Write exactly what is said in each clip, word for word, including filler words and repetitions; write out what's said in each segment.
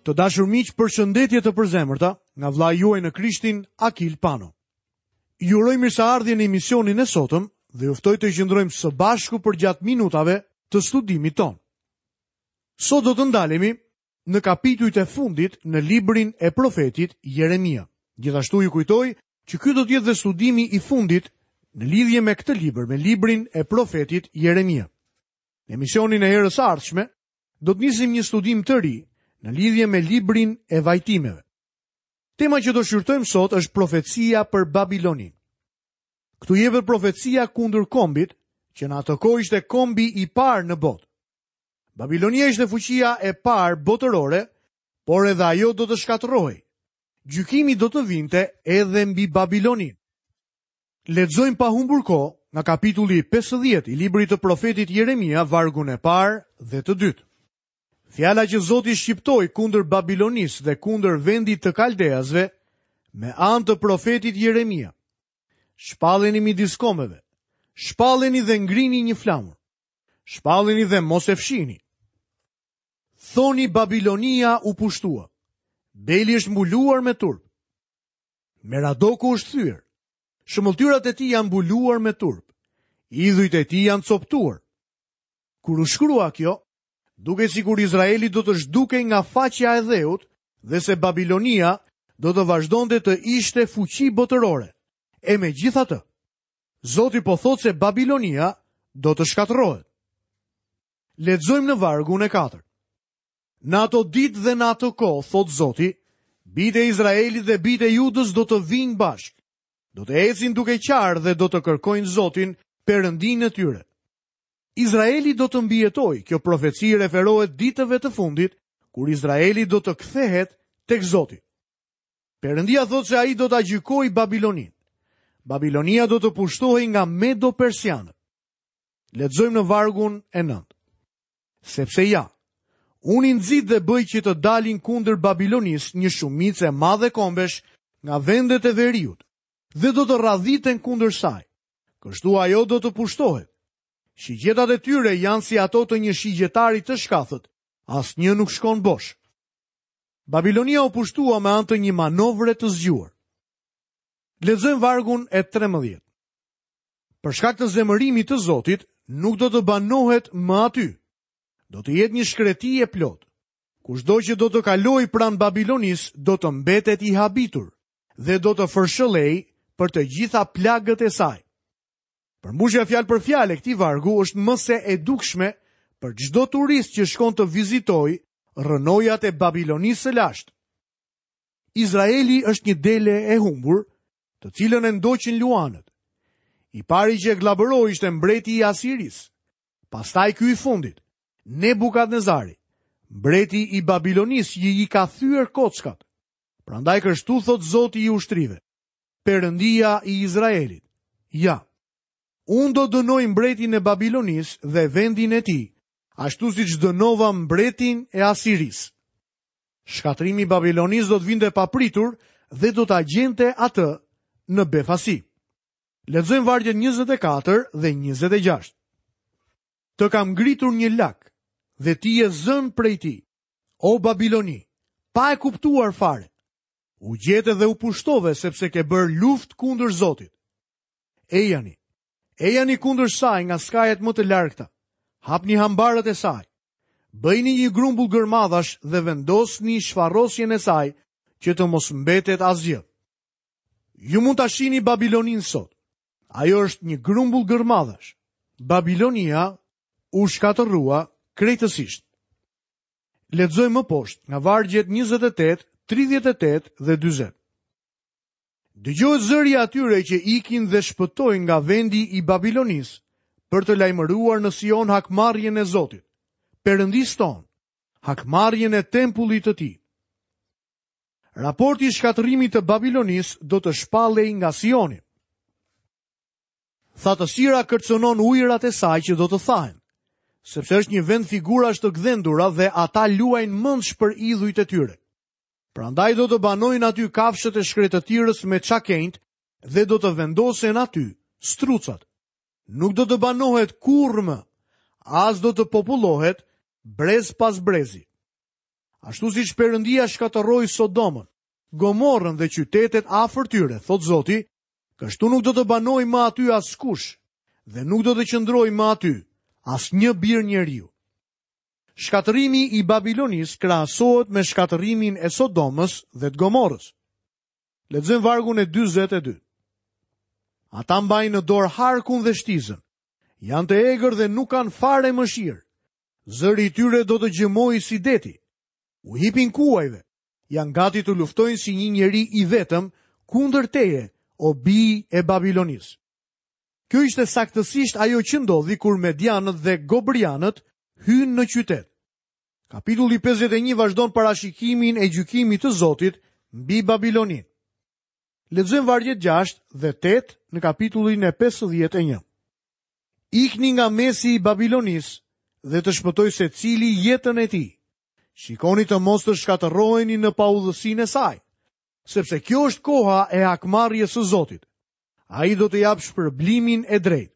Të dashur miq, përshëndetje të përzemërta nga vëllai juaj në Krishtin, Akil Pano. Ju uroj mirëseardhje në emisionin e sotëm dhe ju ftoj të qëndrojmë së bashku përgjatë minutave të studimit tonë. Sot do të ndalemi në kapitujt e fundit në librin e profetit Jeremia. Gjithashtu ju kujtoj që ky do të jetë dhe studimi i fundit në lidhje me këtë libër, me librin e profetit Jeremia. Në emisionin e herës së ardhshme do të nisim një studim të ri në lidhje me librin e vajtimeve. Tema që do shqyrtojmë sot është profecia për Babilonin. Këtu jepet profecia kundër kombit, që në atë kohë ishte kombi i parë në botë. Babilonia ishte fuqia e parë botërore, por edhe ajo do të shkatërrohej. Gjykimi do të vinte edhe mbi Babilonin. Lexojmë pa humbur kohë nga kapitulli pesëdhjetë i librit të profetit Jeremia, vargun e parë dhe të dytë. Fjala që Zoti shqiptoi kundër Babilonisë dhe kundër vendit të Kaldeasve me anë të profetit Jeremia. Shpalleni midis kombeve, shpalleni dhe ngrini një flamur. Shpalleni dhe mos e fshini. Thoni Babilonia u pushtua. Beli është mbuluar me turp. Meradoku është thyer. Shëmbëlltyrat e tij janë mbuluar me turp. Idhujt e tij janë coptuar. Kur u shkrua kjo, duke sikur Izraeli do të zhdukej nga faqja e dheut dhe se Babilonia do të vazhdonte të ishte fuqi botërore. E megjithatë, Zoti po thotë se Babilonia do të shkatërrohet. Lexojmë në vargun e katërt. Në ato ditë dhe në ato kohë, thotë Zoti, bijtë e Izraelit dhe bijtë e Judës do të vinë bashkë. Do të ecin duke qarë dhe do të kërkojnë Zotin, Perëndinë e tyre. Izraeli do të mbijetojë. Kjo profeci referohet ditëve të fundit, kur Izraeli do të kthehet tek Zoti. Perëndia thotë se ai do ta gjykojë Babilonin. Babilonia do të pushtohej nga Medo-Persianët. Lexojmë në vargun e nëntë. Sepse ja, unë i nxit dhe bëj që të dalin kundër Babilonisë një shumicë e madhe kombesh nga vendet e veriut dhe do të radhiten kundër saj. Kështu ajo do të pushtohet. Shigjetat e tyre janë si ato të një shigjetari të shkathët, asnjë nuk shkon bosh. Babilonia u pushtua me anë të një manovre të zgjuar. Lexojmë vargun e trembëdhjetë. Për shkak të zemërimit të Zotit, nuk do të banohet më aty. Do të jetë një shkreti e plotë. Kushdo që do të kalojë pranë Babilonisë do të mbetet i habitur dhe do të fërshëllej për të gjitha plagët e saj. Përmbushja fjalë për fjalë e këtij vargu është më se e dukshme për çdo turist që shkon të vizitojë rrënojat e Babilonisë së lashtë. Izraeli është një dele e humbur, të cilën e ndoqin luanët. I pari që e glabëroi ishte mbreti i Asirisë. Pastaj ky i fundit, Nebukadnezari, mbreti i Babilonisë që i ka thyer kockat. Prandaj kështu thot Zoti i ushtrive, Perëndia i Izraelit. Ja, unë do dënoj mbretin e Babilonisë dhe vendin e tij, ashtu siç dënova mbretin e Asirisë. Shkatrimi i Babilonisë do të vinte papritur dhe do ta gjente atë në befasi. Lexojmë vargjet njëzet e katër dhe njëzet e gjashtë. Të kam ngritur një lak dhe ti je zënë prej tij, o Babiloni, pa e kuptuar fare. U gjete dhe u pushtove sepse ke bërë luftë kundër Zotit. Ejani, ejani kundër saj nga skajet më të largëta. Hapni hambarët e saj. Bëjni një grumbull gërmadhash dhe vendosni shfarosjen e saj që të mos mbetet asgjë. Ju mund ta shihni Babilonin sot. Ajo është një grumbull gërmadhash. Babilonia u shkatërrua krejtësisht. Lexojmë më poshtë nga vargjet njëzet e tetë, tridhjetë e tetë dhe dyzet. Dëgjohet zëri i atyre që ikin dhe shpëtojnë nga vendi i Babilonisë për të lajmëruar në Sion hakmarrjen e Zotit, Perëndisë tonë, hakmarrjen e tempullit të tij. Raporti i shkatërrimit të Babilonisë do të shpallej nga Sioni. Thatësira kërcënon ujërat e saj që do të thahen, sepse është një vend figurash të gdhendura dhe ata luajnë mendsh për idhujt e tyre. Prandaj do të banojnë aty kafshët e shkretëtirës me çakenjt dhe do të vendosen aty strucat. Nuk do të banohet kurrë më, as do të popullohet brez pas brezi. Ashtu siç Perëndia shkatërroi Sodomën, Gomorrën dhe qytetet afër tyre, thotë Zoti, kështu nuk do të banojë më aty askush dhe nuk do të qëndrojë më aty asnjë bir njeriu. Shkatërrimi i Babilonisë krahasohet me shkatërrimin e Sodomës dhe të Gomorrës. Lexojmë vargun e dyzet e dy. Ata mbajnë në dorë harkun dhe shtizën. Janë të egër dhe nuk kanë fare mëshirë. Zëri i tyre do të gjëmojë si deti. U hipin kuajve. Janë gati të luftojnë si një njeri i vetëm kundër teje, o bij e Babilonisë. Kjo ishte saktësisht ajo që ndodhi kur Medianët dhe Gobrianët hynë në qytet. Kapitulli pesëdhjetë e një vazhdon parashikimin e gjykimit të Zotit mbi Babiloninë. Lexojmë vargjet gjashtë dhe tetë në kapitullin e pesëdhjetë e një. Ikni nga mesi i Babilonisë dhe të shpëtoj secili jetën e tij. Shikoni të mos të shkatërroheni në paudhësinë e saj, sepse kjo është koha e hakmarrjes së Zotit. Ai do të japë shpërblimin e drejtë.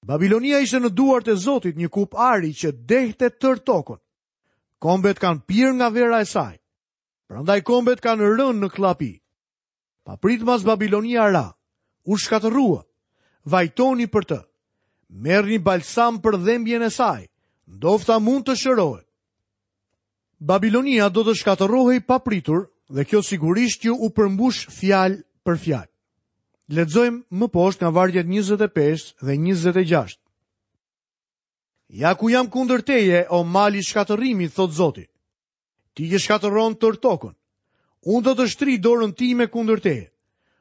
Babilonia ishte në duart e Zotit, një kupë ari që dehte tërë tokën. Kombet kanë pirë nga vera e saj. Prandaj kombet kanë rënë në kllapi. Papritmas Babilonia ra, u shkatërrua. Vajtoni për të. Merrni balsam për dhembjen e saj, ndofta mund të shërohet. Babilonia do të shkatërrohej papritur dhe kjo sigurisht që u përmbush fjalë për fjalë. Lexojmë më poshtë nga vargjet njëzet e pesë dhe njëzet e gjashtë. Ja ku jam kundër teje, o mali shkatërrimit, thot Zoti. Ti që shkatërron tërë tokën. Unë do të shtri dorën time kundër teje.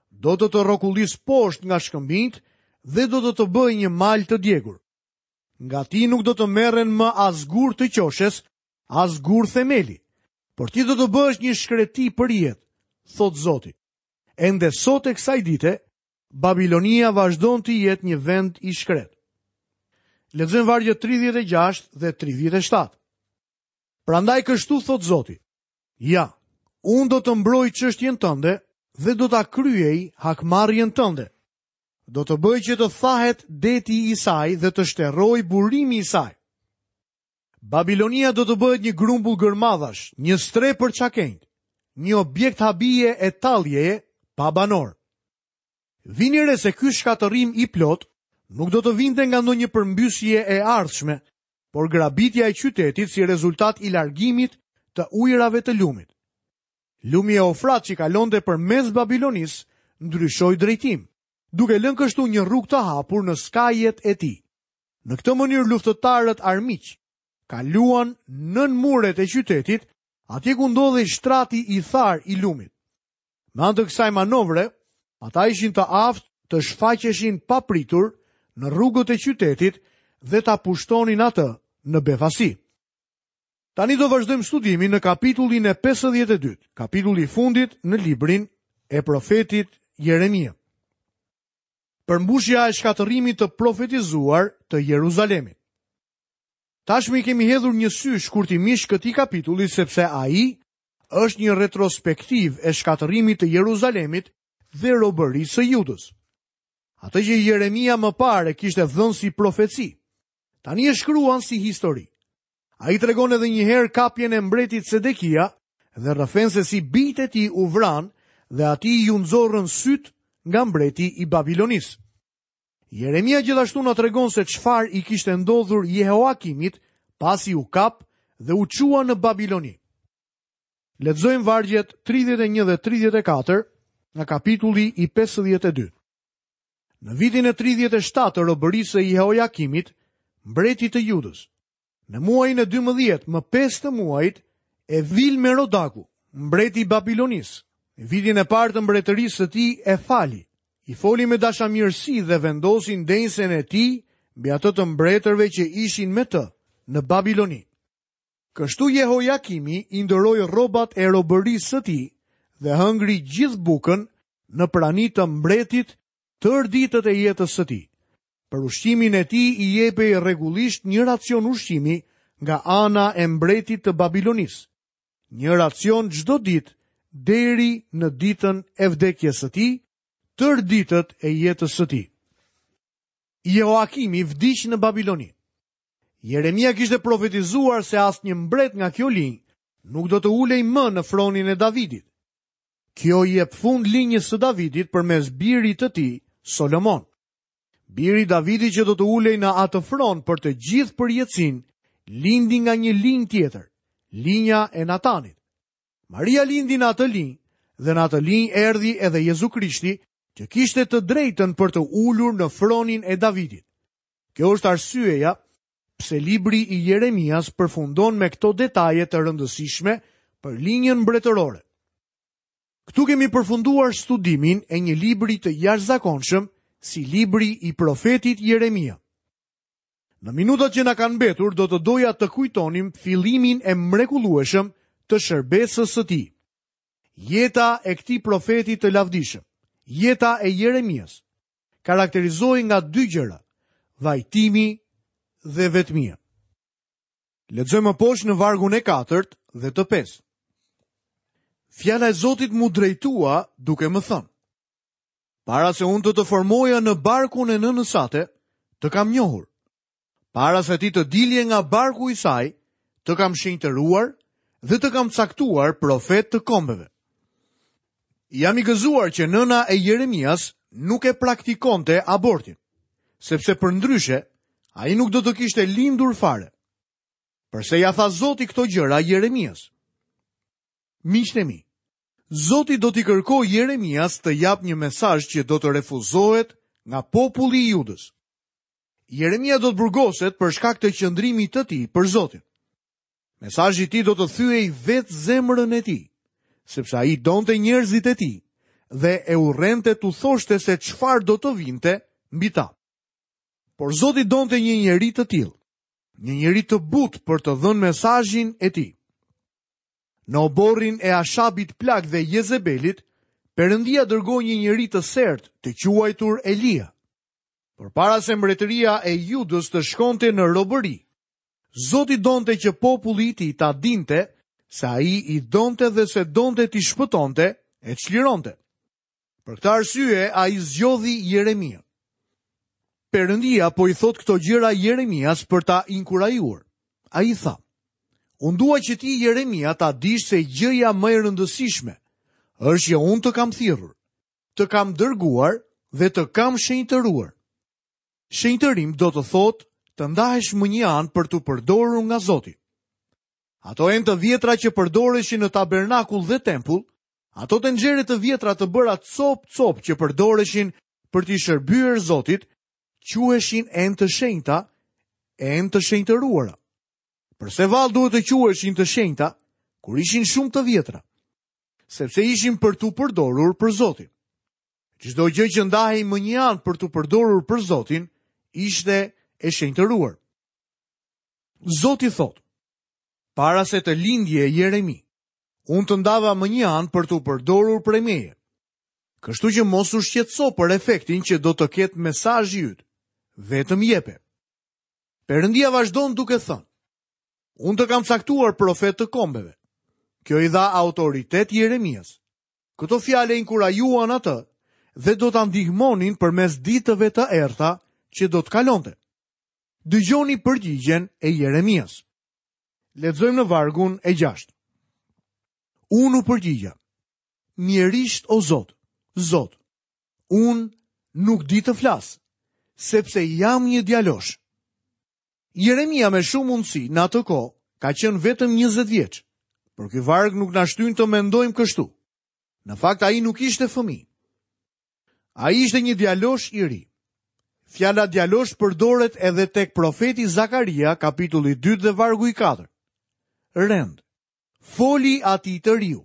Do të të rrokullis poshtë nga shkëmbinjt dhe do të të bëj një mal të djegur. Nga ti nuk do të merren më as gur të qoshes, as gur themeli, por ti do të bëhesh një shkreti për jetë, thot Zoti. Ende sot e kësaj dite, Babilonia vazhdon të jetë një vend i shkret. Lexojmë vargjet tridhjetë e gjashtë dhe tridhjetë e shtatë. Prandaj kështu thot Zoti: Ja, unë do të mbroj çështjen tënde dhe do ta kryej hakmarrjen tënde. Do të bëj që të thahet deti i saj dhe të shterroj burimi i saj. Babilonia do të bëhet një grumbull gërmadhash, një stre për çakenjt, një objekt habie e talljeje pa banor. Vini re se ky shkatërrim i plot nuk do të vinte nga ndonjë përmbysje e ardhshme, por grabitja e qytetit si rezultat i largimit të ujërave të lumit. Lumi Eufrat që kalonte përmes Babilonisë ndryshoi drejtim, duke lënë kështu një rrugë të hapur në skajet e tij. Në këtë mënyrë luftëtarët armiq kaluan nën muret e qytetit, atje ku ndodhej shtrati i thar i lumit. Me anë të kësaj manovre, ata ishin të aftë të shfaqeshin papritur në rrugët e qytetit dhe ta pushtonin atë në befasi. Tani do vazhdojmë studimin në kapitullin e pesëdhjetë e dy, kapitulli i fundit në librin e profetit Jeremia. Përmbushja e shkatërrimit të profetizuar të Jeruzalemit. Tashmë i kemi hedhur një sy shkurtimisht këtij kapitulli sepse ai është një retrospektiv e shkatërrimit të Jeruzalemit dhe robërisë së Judës. Atë që Jeremia më parë e kishte dhënë si profeci, tani e shkruan si histori. Ai tregon edhe një herë kapjen e mbretit Sedekia dhe rrëfen se si bijtë e tij u vranë dhe atij ju nxorrën syt nga mbreti i Babilonisë. Jeremia gjithashtu na tregon se çfarë i kishte ndodhur Jehoakimit pasi u kap dhe u çua në Babiloni. Lexojmë vargjet tridhjetë e një dhe tridhjetë e katër nga kapitulli i pesëdhjetë e dy. Në vitin e tridhjetë e shtatë të robërisë së Jehoakimit, mbretit të Judës, në muajin e dymbëdhjetë, më pesë të muajit, e Vil Merodaku, mbreti i Babilonisë, në vitin e parë të mbretërisë së tij e fali, i foli me dashamirësi dhe vendosi ndenjsen e tij mbi atë të mbretërve që ishin me të në Babiloni. Kështu Jehojakimi i ndëroi rrobat e robërisë së tij dhe hëngri gjithë bukën në prani të mbretit tërë ditët e jetës së tij. Për ushqimin e tij i jepej rregullisht një racion ushqimi nga ana e mbretit të Babilonisë. Një racion çdo ditë deri në ditën e vdekjes së tij, tërë ditët e jetës së tij. Jehoakimi vdiq në Babiloni. Jeremia kishte profetizuar se asnjë mbret nga kjo linjë nuk do të ulej më në fronin e Davidit. Kjo i jep fund linjës së Davidit përmes birit të tij, Solomon. Biri i Davidit që do të ulej në atë fron për të gjithë përjetësinë, lindi nga një linjë tjetër, linja e Natanit. Maria lindi në atë linjë dhe në atë linjë erdhi edhe Jezu Krishti, që kishte të drejtën për të ulur në fronin e Davidit. Kjo është arsyeja pse libri i Jeremias përfundon me këto detaje të rëndësishme për linjën mbretërore. Këtu kemi përfunduar studimin e një libri të jashtëzakonshëm si libri i profetit Jeremia. Në minutat që na kanë mbetur do të doja të kujtonim fillimin e mrekullueshëm të shërbesës së tij. Jeta e këtij profeti të lavdishëm, jeta e Jeremias, karakterizohej nga dy gjëra: vajtimi dhe vetmia. Lexojmë më poshtë në vargun e katërt dhe të pestë. Fjala e Zotit mu drejtua duke më thënë: Para se unë të të formoja në barkun e nënës sate, të kam njohur. Para se ti të dilje nga barku i saj, të kam shenjtëruar dhe të kam caktuar profet të kombeve. Jam i gëzuar që nëna e Jeremias nuk e praktikonte abortin, sepse përndryshe ai nuk do të kishte lindur fare. Përse ja tha Zoti këto gjëra Jeremias? Miqtë e mi, Zoti do t'i kërkojë Jeremias të jap një mesazh që do të refuzohet nga populli i Judës. Jeremia do të burgoset për shkak të qëndrimit të tij për Zotin. Mesazhi i tij do të thyej vetë zemrën e tij, sepse ai donte njerëzit e tij dhe e urrente t'u thoshte se çfarë do të vinte mbi ta. Por Zoti donte një njeri të tillë, një njeri të butë për të dhënë mesazhin e tij. Në oborrin e Ashabit plak dhe Jezebelit, Perëndia dërgoi një njeri të sertë të quajtur Elia. Por para se mbretëria e Judës të shkonte në robëri, Zoti donte që populli i tij ta dinte se ai i donte dhe se donte t'i shpëtonte e çlironte. Për këtë arsye ai zgjodhi Jeremia. Perëndia po i thot këto gjëra Jeremias për ta inkurajuar. Ai tha: Unë dua që ti, Jeremia, ta dish se gjëja më e rëndësishme është që unë të kam thirrur, të kam dërguar dhe të kam shenjtëruar. Shenjtërim do të thotë të ndahesh më një anë për t'u përdorur nga Zoti. Ato enë të vjetra që përdoreshin në tabernakull dhe tempull, ato tenxhere të vjetra të bëra cop-cop që përdoreshin për t'i shërbyer Zotit, quheshin enë të shenjta, enë të shenjtëruara. Përse vallë duhet të quheshin të shenjta kur ishin shumë të vjetra? Sepse ishin për t'u përdorur për Zotin. Çdo gjë që ndahej më një anë për t'u përdorur për Zotin ishte e shenjtëruar. Zoti thotë: Para se të lindje Jeremi, unë të ndava më një anë për t'u përdorur prej meje. Kështu që mos u shqetëso për efektin që do të ketë mesazhi yt, vetëm jepe. Perëndia vazhdon duke thënë: Unë të kam caktuar profet të kombeve. Kjo i dha autoritet Jeremias. Këto fjalë e inkurajuan atë dhe do ta ndihmonin përmes ditëve të errta që do të kalonte. Dëgjoni përgjigjen e Jeremias. Lexojmë në vargun e gjashtë. Unë u përgjigja: Mjerisht o Zot, Zot, unë nuk di të flas, sepse jam një djalosh. Jeremia me shumë mundësi në atë kohë ka qenë vetëm njëzet vjeç, por ky varg nuk na shtyn të mendojmë kështu. Në fakt ai nuk ishte fëmijë. Ai ishte një djalosh i ri. Fjala djalosh përdoret edhe tek profeti Zakaria, kapitulli dy dhe vargu i katër. Rend, foli atij të riu.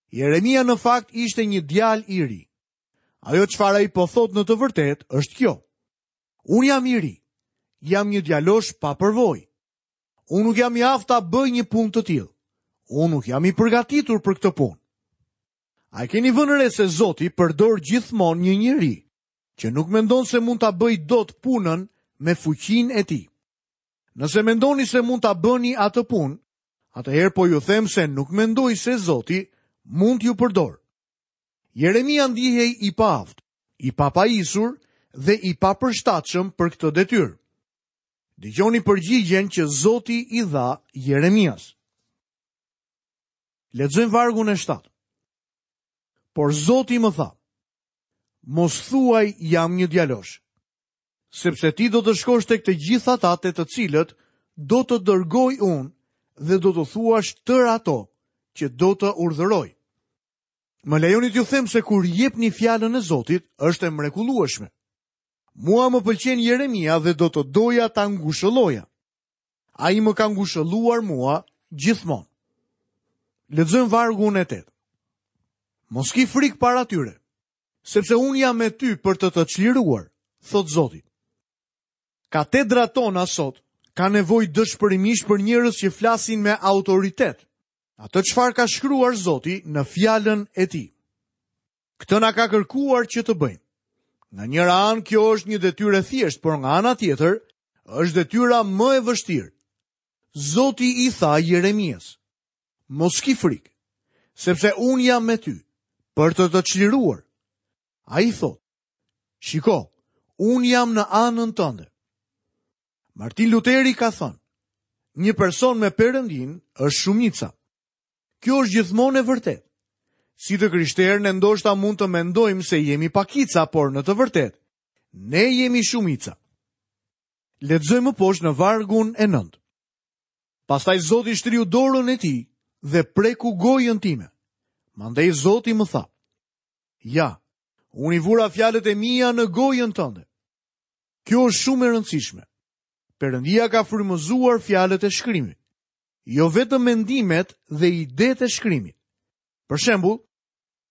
Jeremia në fakt ishte një djalë i ri. Ajo çfarë ai po thot në të vërtetë është kjo: Unë jam i ri, jam një djalosh pa përvojë. Unë nuk jam i aftë ta bëj një punë të tillë. Unë nuk jam i përgatitur për këtë punë. A e keni vënë re se Zoti përdor gjithmonë një njeri që nuk mendon se mund ta bëj dot punën me fuqinë e tij? Nëse mendoni se mund ta bëni atë punë, atëherë po ju them se nuk mendoj se Zoti mund t'ju përdor. Jeremia ndihej i paaftë, i papajisur dhe i papërshtatshëm për këtë detyrë. Dëgjoni përgjigjen që Zoti i dha Jeremias. Lexojmë vargun e shtatë. Por Zoti më tha: Mos thuaj jam një djalosh, sepse ti do të shkosh tek të gjithë ata te të cilët do të dërgoj unë dhe do të thuash tërë ato që do të urdhëroj. Më lejoni t'ju them se kur jepni fjalën e Zotit, është e mrekullueshme. Mua më pëlqen Jeremia dhe do të doja ta ngushëlloja. Ai më ka ngushëlluar mua gjithmonë. Lexojmë vargun e tetë. Mos ki frikë para tyre, sepse unë jam me ty për të të çliruar, thot Zoti. Katedrat tona sot ka nevojë dëshpërimisht për njerëz që flasin me autoritet, atë çfarë ka shkruar Zoti në fjalën e tij. Këtë na ka kërkuar që të bëjmë. Nga njëra anë kjo është një detyrë e thjeshtë, por nga ana tjetër është detyra më e vështirë. Zoti i tha Jeremias: Mos ki frikë, sepse unë jam me ty për të të çliruar. Ai thotë: Shiko, unë jam në anën tënde. Martin Luteri ka thënë: Një person me Perëndin është shumica. Kjo është gjithmonë e vërtetë. Si të krishterë ne ndoshta mund të mendojmë se jemi pakica, por në të vërtetë ne jemi shumica. Lexojmë poshtë në vargun e nëntë. Pastaj Zoti shtriu dorën e tij dhe preku gojën time. Mandej Zoti më tha: Ja, unë i vura fjalët e mia në gojën tënde. Kjo është shumë e rëndësishme. Perëndia ka frymëzuar fjalët e shkrimit, jo vetëm mendimet dhe idetë e shkrimit. Për shembull,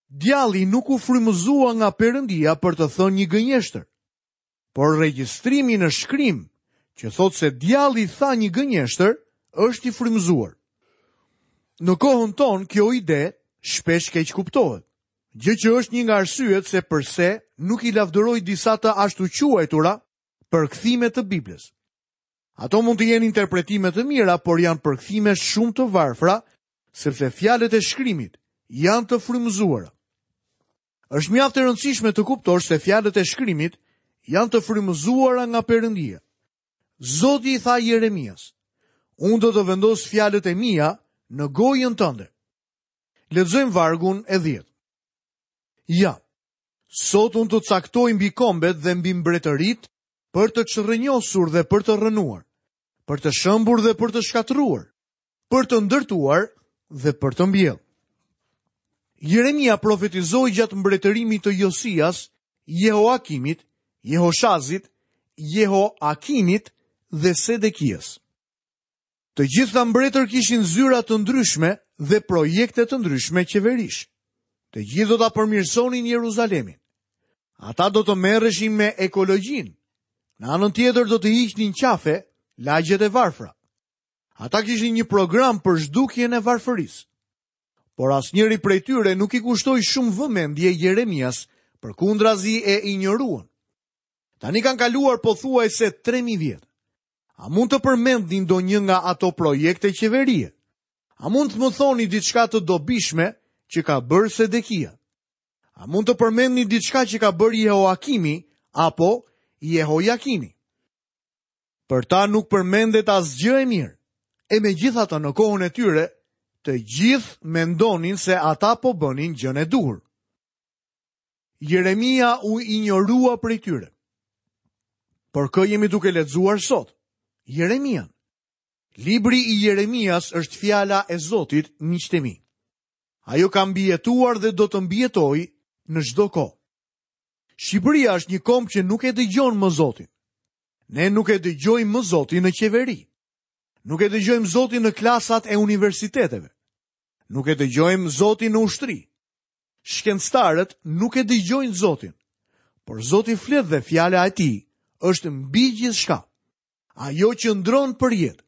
djalli nuk u frymëzua nga Perëndia për të thënë një gënjeshtër, por regjistrimi në shkrim që thotë se djalli tha një gënjeshtër është i frymëzuar. Në kohën tonë kjo ide shpesh keq kuptohet, gjë që është një nga arsyet se përse nuk i lavdëroj disa të ashtu quajtura përkthime të Biblës. Ato mund të jenë interpretime të mira, por janë përkthime shumë të varfra, sepse fjalët e shkrimit janë të frymëzuara. Është mjaft e rëndësishme të kuptosh se fjalët e shkrimit janë të frymëzuara nga Perëndia. Zoti i tha Jeremias: Unë do të vendos fjalët e mia në gojën tënde. Lexojmë vargun e dhjetë. Ja, sot unë të caktoj mbi kombet dhe mbi mbretërit për të çrrënjosur dhe për të rrënuar, për të shëmbur dhe për të shkatërruar, për të ndërtuar dhe për të mbjellë. Jeremia profetizoi gjatë mbretërimit të Josias, Jehoakimit, Jehoshazit, Jehoakinit dhe Sedekias. Të gjithë këta mbretër kishin zyra të ndryshme dhe projekte të ndryshme qeverish. Të gjithë do ta përmirësonin Jeruzalemin. Ata do të merreshin me ekologjinë. Në anën tjetër do të hiqnin qafe lagjet e varfra. Ata kishin një program për zhdukjen e varfërisë. Por asnjëri prej tyre nuk i kushtoi shumë vëmendje Jeremias, përkundrazi e injoruan. Tani kanë kaluar pothuajse tre mijë vjet. A mund të përmendni ndonjë nga ato projekte qeverie? A mund të më thoni diçka të dobishme që ka bërë Sedekia? A mund të përmendni diçka që ka bërë Jehoakimi apo Jehojakini? Për ta nuk përmendet asgjë e mirë. E megjithatë në kohën e tyre, të gjithë mendonin se ata po bënin gjën e duhur. Jeremia u injorua prej tyre. Por kë jemi duke lexuar sot? Jeremian. Libri i Jeremias është fjala e Zotit, miqtë e mi. Ajo ka mbijetuar dhe do të mbijetojë në çdo kohë. Shqipëria është një komb që nuk e dëgjon më Zotin. Ne nuk e dëgjojmë më Zotin në qeveri. Nuk e dëgjojmë Zotin në klasat e universiteteve. Nuk e dëgjojmë Zotin në ushtri. Shkencëtarët nuk e dëgjojnë Zotin. Por Zoti flet dhe fjala e tij është mbi gjithçka. Ajo qëndron për jetë.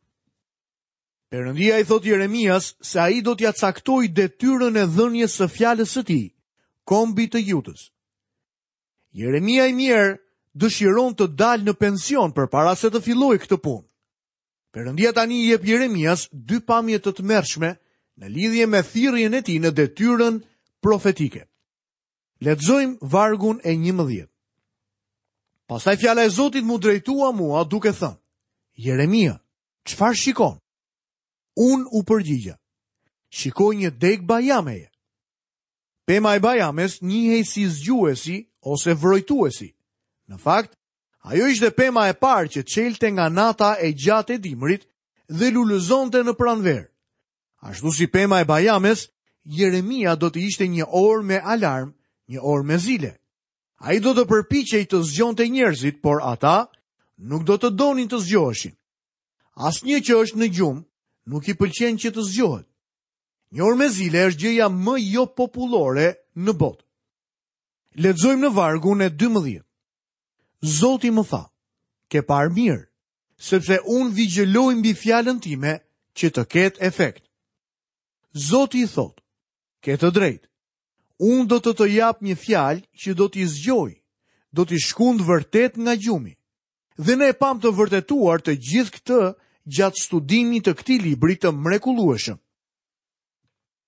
Perëndia i thot Jeremias se ai do t'ia caktojë detyrën e dhënies së fjalës së tij kombit të Judës. Jeremia i mirë dëshiron të dalë në pension përpara se të fillojë këtë punë. Perëndia tani i jep Jeremias dy pamje të tmerrshme në lidhje me thirrjen e tij në detyrën profetike. Lexojmë vargun e njëmbëdhjetë. Pastaj fjala e Zotit mu drejtua mua duke thënë: Jeremia, çfarë shikon? Unë u përgjigja: shikoi një degë bajameje. Pema e bajames njihej si zgjuesi ose vrojtuesi. Në fakt, ajo ishte pema e parë që çelte nga nata e gjatë e dimrit dhe lulëzonte në pranverë. Ashtu si pema e bajames, Jeremia do të ishte një orë me alarm, një orë me zile. Ai do të përpiqej të zgjonte njerëzit, por ata nuk do të donin të zgjoheshin. Asnjë që është në gjumë nuk i pëlqen që të zgjohet. Një orë me zile është gjëja më jo popullore në botë. Lexojmë në vargun e dymbëdhjetë. Zoti më tha, ke parë mirë, sepse unë vigjëloj mbi fjalën time që të ketë efekt. Zoti i thotë, ke të drejtë. Unë do të të jap një fjalë që do t'i zgjoj, do t'i shkund vërtet nga gjumi. Dhe ne e pam të vërtetuar të gjithë këtë gjatë studimit të këtij libri të mrekullueshëm.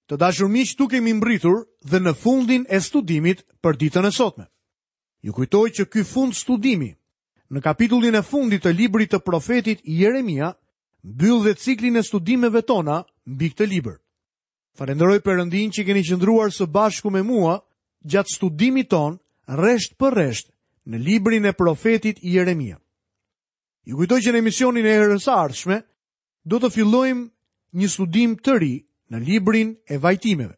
Të dashur miq, tu kemi mbritur dhe në fundin e studimit për ditën e sotme. Ju kujtoj që ky fund studimi, në kapitullin e fundit të librit të profetit Jeremia, mbyll dhe ciklin e studimeve tona mbi këtë libër. Falenderoj Perëndin që keni qëndruar së bashku me mua gjatë studimit ton rresht për rresht në librin e profetit Jeremia. Ju kujtoj që në emisionin e herës së ardhshme do të fillojmë një studim të ri në librin e vajtimeve.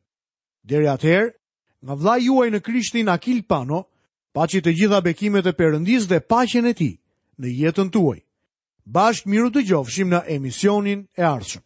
Deri atëherë, nga vllai juaj në Krishtin Akil Pano, paçi të gjitha bekimet e Perëndisë dhe paqen e tij në jetën tuaj. Bashkë miru dëgjofshim në emisionin e ardhshëm.